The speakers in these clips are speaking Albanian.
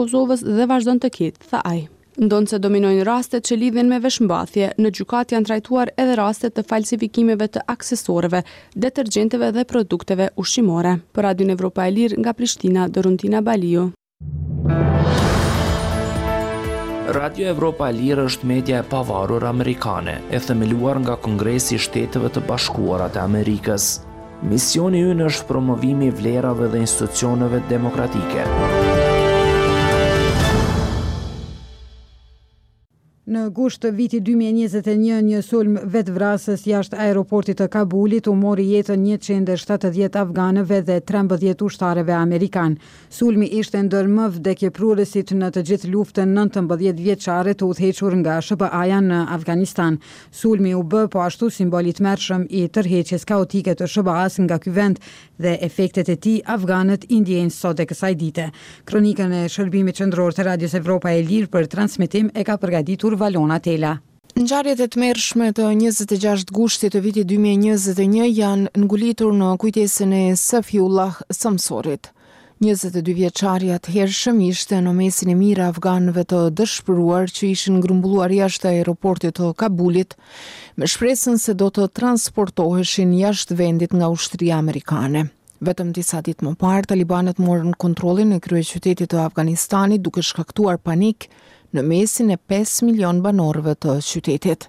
Kosovës dhe vazhdon të ketë, tha ai. Ndonëse dominojnë rastet që lidhen me veshmbathje, në gjykatë janë trajtuar edhe raste të falsifikimeve të aksesorëve, detergjentëve dhe produkteve ushqimore. Për Radion Evropa e Lirë, nga Prishtina, Doruntina Baliu. Radio Evropa e Lirë është media e pavarur amerikane, e themeluar nga Kongresi i Shteteve të Bashkuara të Amerikës. Misioni ynë është promovimi i vlerave dhe institucioneve demokratike. Në gusht të vitit 2021, një sulm vetëvrasës jashtë aeroportit të Kabulit u mori jetën 170 afganëve dhe 13 ushtarëve amerikanë. Sulmi ishte ndër më vdekjeprurësit në të gjithë luftën 19 vjeçare të udhëhequr nga SHBA-ja në Afganistan. Sulmi u bë po ashtu simbol i tmerrshëm i tërheqjes kaotike të SHBA-së nga ky vend dhe efektet e tij afganët i ndjejnë sot e kësaj dite. Kronikën e Shërbimit Qendror të Radios Evropa e Lirë për transmetim e ka përgatitur Valona Tela. Ngjarjet e tmerrshme të 26 gushtit të vitit 2021 janë ngulitur në kujtesën e Safiullah Samsorit. 22 vjeçari i atëhershëm ishte në mesin e mijëra afganëve të dëshpëruar që ishin grumbulluar jashtë aeroportit të Kabulit me shpresën se do të transportoheshin jashtë vendit nga ushtria amerikane. Vetëm disa ditë më parë, talibanët morën kontrollin e kryeqytetit të Afganistanit duke shkaktuar panik në mesin e 5 milion banorëve të qytetit.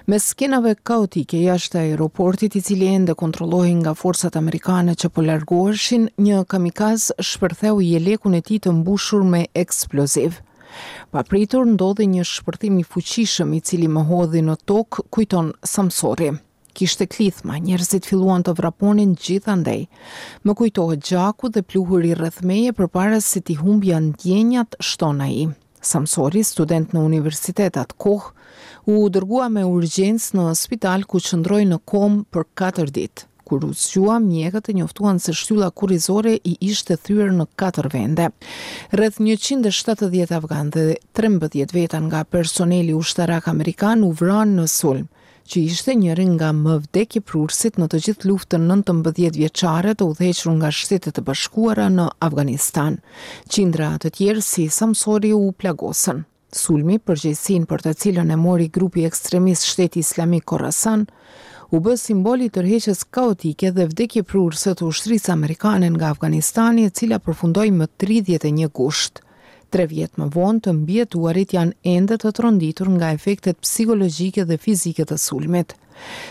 Mes skenave kaotike jashtë aeroportit, i cili ende kontrollohej nga forcat amerikane që po largoheshin, një kamikaz shpërtheu jelekun e tij të mbushur me eksploziv. Papritur ndodhi një shpërthim i fuqishëm i cili më hodhi në tokë, kujton Samsori. Kishte klithma, njerëzit filluan të vraponin gjithandej. Më kujtohet gjaku dhe pluhuri rreth meje përpara se t'i humbja ndjenjat, shton ai. Samsori, student në universitet atë kohë, u dërgua me urgjencë në spital ku qëndroi në komë për 4 ditë. Kur u zgjua, mjekët e njoftuan se shtylla kurrizore i ishte thyer në 4 vende. Rreth 170 afganë dhe 13 veta nga personeli ushtarak amerikan u vranë në sulm. që ishte njëri nga më vdekjeprurësit në të gjithë luftën 19 vjeçare të udhëhequr nga Shtetet e Bashkuara në Afganistan. Qindra të tjerë si Samsori u plagosën. Sulmi, përgjegjësinë për të cilën e mori grupi ekstremist Shteti Islamik Khorasan, u bë simbol i tërheqjes kaotike dhe vdekjeprurëse të ushtrisë amerikane nga Afganistani, e cila përfundoi më 31 gusht. Tre vjet më vonë, të mbijetuarit janë ende të tronditur nga efektet psikologjike dhe fizike të sulmit.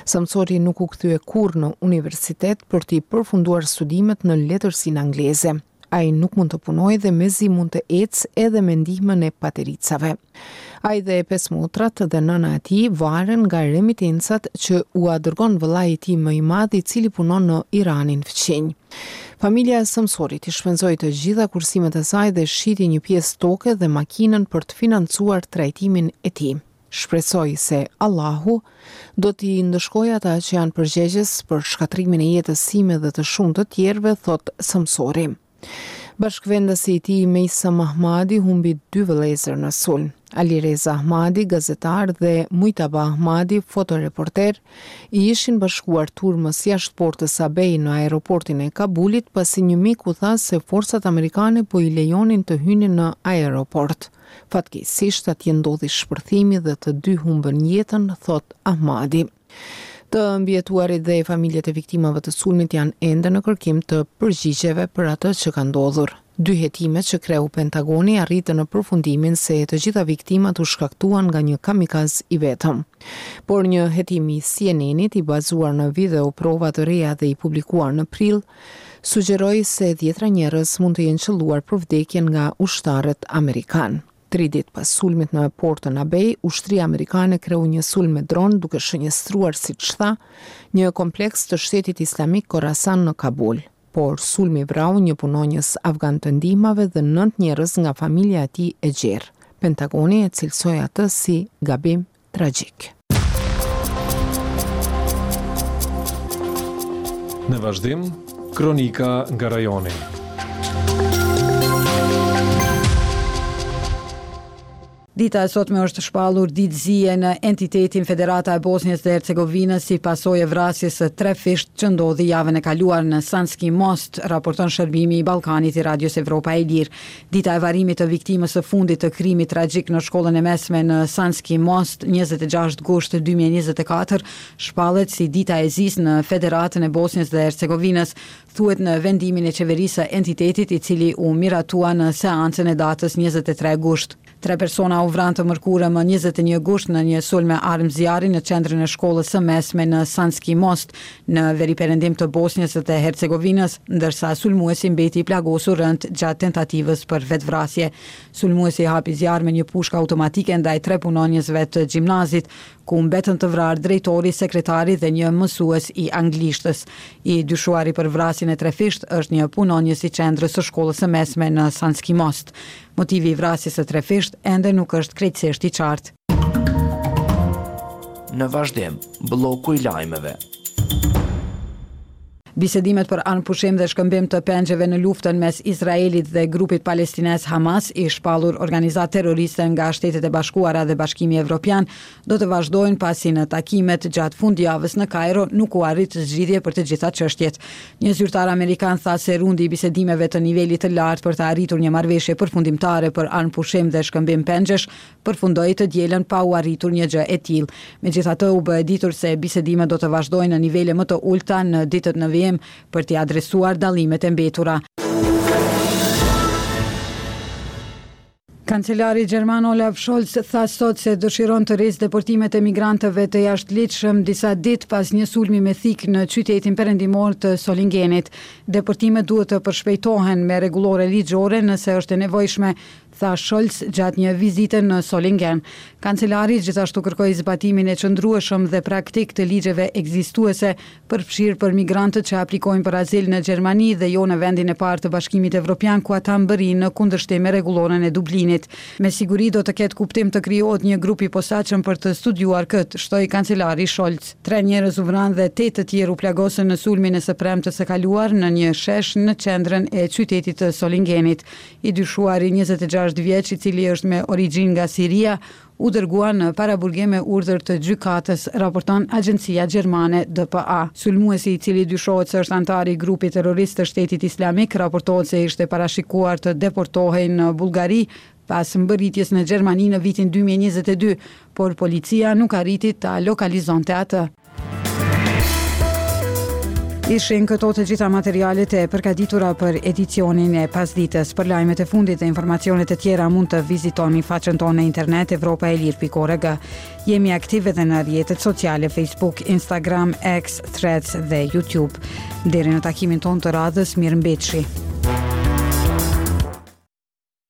Samsori nuk u kthye kurrë në universitet për t'i përfunduar studimet në letërsinë angleze. Ai nuk mund të punojë dhe mezi mund të ecë edhe me ndihmën e patericave. Ai dhe pesë motrat dhe nëna e tij varen nga remitencat që ua dërgon vëllai i tij më i madh i cili punon në Iranin fqinj. Familja e Samsorit i shpenzoi të gjitha kursimet e saj dhe shiti një pjesë toke dhe makinën për të financuar trajtimin e tij. Shpresoj se Allahu do t'i ndëshkojë ata që janë përgjegjës për shkatërrimin e jetës sime dhe të shumë të tjerëve, thotë Samsori. Bashkëvendasi i tij Meysam Ahmadi humbi dy vëllezër në sulm. Alireza Ahmadi, gazetar dhe Mujtaba Ahmadi, fotoreporter, i ishin bashkuar turmës jashtë portës Abej në aeroportin e Kabulit pasi një mik u tha se forcat amerikane po i lejonin të hynin në aeroport. Fatkeqësisht atje ndodhi shpërthimi dhe të dy humbën jetën, thotë Ahmadi. Të mbijetuarit dhe familjet e viktimave të sulmit janë ende në kërkim të përgjigjeve për atë që ka ndodhur. Dy hetime që kreu Pentagoni arritën në përfundimin se të gjitha viktimat u shkaktuan nga një kamikaz i vetëm. Por një hetim i CNN-it i bazuar në videoprova të reja dhe i publikuar në prill, sugjeroi se dhjetra njerëz mund të jenë qëlluar për vdekje nga ushtarët amerikanë. Tri ditë pas sulmit në portën Abej, ushtria amerikane kreu një sulm me dron duke shënjestruar, siç tha, një kompleks të Shtetit Islamik Khorasan në Kabul. Por sulmi vrau një punonjës afgan të ndihmave dhe nëntë njerëz nga familja e tij e gjerë. Pentagoni e cilësoi atë si gabim tragjik. Në vazhdim, kronika nga rajoni. Dita e sotme është shpallur ditë zie në entitetin Federata e Bosnjës dhe Hercegovinës si pasojë e vrasjes së trefishtë që ndodhi javën e kaluar në Sanski Most, raporton shërbimi i Ballkanit i Radios Evropa e Lirë. Dita e varrimit të viktimës së fundit të krimit tragjik në shkollën e mesme në Sanski Most, 26 gusht 2024, shpallet si dita e zisë në Federatën e Bosnjës dhe Hercegovinës, thuhet në vendimin e qeverisë së entitetit i cili u miratua në seancën e datës 23 gusht. Tre persona u vranë të mërkurën më 21 gusht në një sulm me armë zjarri në qendrën e shkollës së mesme në Sanski Most, në veriperëndim të Bosnjës dhe Hercegovinës, ndërsa sulmuesi mbeti i plagosur rëndë gjatë tentativës për vetëvrasje. Sulmuesi hapi zjarr me një pushkë automatike ndaj tre punonjësve të gjimnazit, ku mbetën të vrarë drejtori, sekretari dhe një mësues i anglishtes. I dyshuari për vrasjen e trefishtë është një punonjës i qendrës së shkollës së mesme në Sanski Most. Motivi i vrasjes së trefishtë ende nuk është krejtësisht i qartë. Në vazhdim, blloku i lajmeve. Bisedimet për armëpushim dhe shkëmbim të pengjeve në luftën mes Izraelit dhe grupit palestinez Hamas, i shpallur organizatë terroriste nga Shtetet e Bashkuara dhe Bashkimi Evropian, do të vazhdojnë pasi në takimet gjatë fundjavës në Kajro nuk u arrit zgjidhje për të gjitha çështjet. Një zyrtar amerikan tha se rundi i bisedimeve të nivelit të lartë për të arritur një marrëveshje përfundimtare për armëpushim dhe shkëmbim pengjesh përfundoi të dielën pa u arritur një gjë e tillë. Megjithatë, u bë e ditur se bisedimet do të vazhdojnë në nivele më të ulëta në ditët në vijim për t'i adresuar dallimet e mbetura. Kancelari gjerman Olaf Scholz tha sot se dëshiron të rrisë deportimet e migrantëve të jashtëligjshëm disa ditë pas një sulmi me thikë në qytetin perëndimor të Solingenit. Deportimet duhet të përshpejtohen me rregullore ligjore nëse është e nevojshme, tha Scholz gjatë një vizite në Solingen. Kancelari gjithashtu kërkoi zbatimin e qëndrueshëm dhe praktik të ligjeve ekzistuese, përfshirë për migrantët që aplikojnë për azil në Gjermani dhe jo në vendin e parë të Bashkimit Evropian ku ata mbërrijnë në kundërshtim me rregulloren e Dublinit. Me siguri do të ketë kuptim të krijohet një grup i posaçëm për të studiuar këtë, shtoi kancelari Scholz. Tre njerëz u vranë dhe tetë të tjerë u plagosën në sulmin e së premtes së kaluar në një shesh në qendrën e qytetit të Solingenit. I dyshuari 26 vjeç, i cili është me origjinë nga Siria, u dërgua në paraburgim me urdhër të gjykatës, raporton agjencia gjermane DPA. Sulmuesi, i cili dyshohet se është anëtar i grupit terrorist të Shtetit Islamik, raportohet se ishte parashikuar të deportohej në Bullgari pas mbërritjes në Gjermani në vitin 2022, por policia nuk arriti ta lokalizonte atë. Ishin këto të gjitha materialet e përgatitura për edicionin e pasdites. Për lajmet e fundit dhe informacionet e tjera mund të vizitoni faqen tonë në internet evropaelire.org. Jemi aktive edhe në rrjetet sociale Facebook, Instagram, X, Threads dhe YouTube. Deri në takimin tonë të radhës, mirëmbetshi.